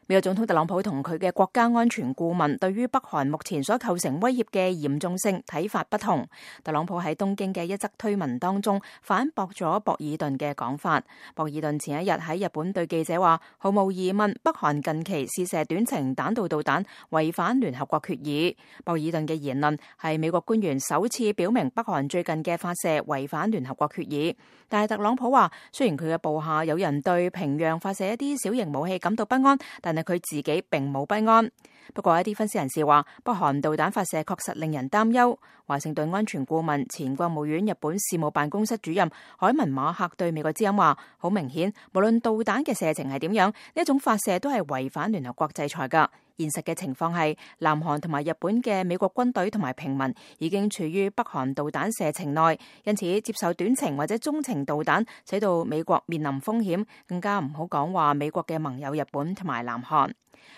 美國總統特朗普同佢嘅國家安全顧問對於北韓目前所構成威脅嘅嚴重性睇法不同。特朗普喺東京嘅一則推文當中反駁咗博爾頓嘅講法。博爾頓前一日喺日本對記者話，毫無疑問，北韓近期試射短程彈道導彈違反聯合國決議。博爾頓嘅言論係美國官員首次表明北韓最近嘅發射違反聯合國決議。但係特朗普話，雖然佢嘅部下有人對平壤發射一啲小型武器感到不安，但係佢自己並冇不安。不過一啲分析人士話，北韓導彈發射確實令人擔憂。華盛頓安全顧問、前國務院日本事務辦公室主任海文馬克對美國之音話，好明顯，無論導彈嘅射程係點樣，呢一種發射都係違反聯合國制裁㗎。現實嘅情況係，南韓同埋日本嘅美國軍隊同埋平民已經處於北韓導彈射程內，因此接受短程或者中程導彈，使到美國面臨風險，更加唔好講話美國嘅盟友日本同埋南韓。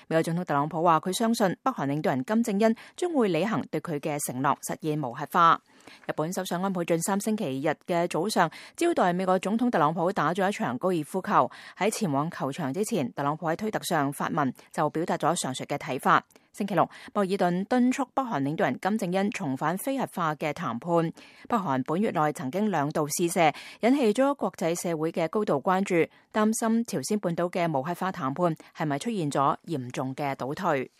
美國總統特朗普話，佢相信北韓領導人金正恩將會履行對佢嘅承諾，實現無核化。日本首相安倍晉三星期日嘅早上招待美國總統特朗普打咗一場高爾夫球。喺前往球場之前，特朗普喺推特上發文就表達咗上述嘅睇法。星期六，博爾頓敦促北韓領導人金正恩重返非核化嘅談判。北韓本月內曾經2度試射，引起咗國際社會嘅高度關注，擔心朝鮮半島嘅無核化談判係咪出現咗嚴重嘅倒退。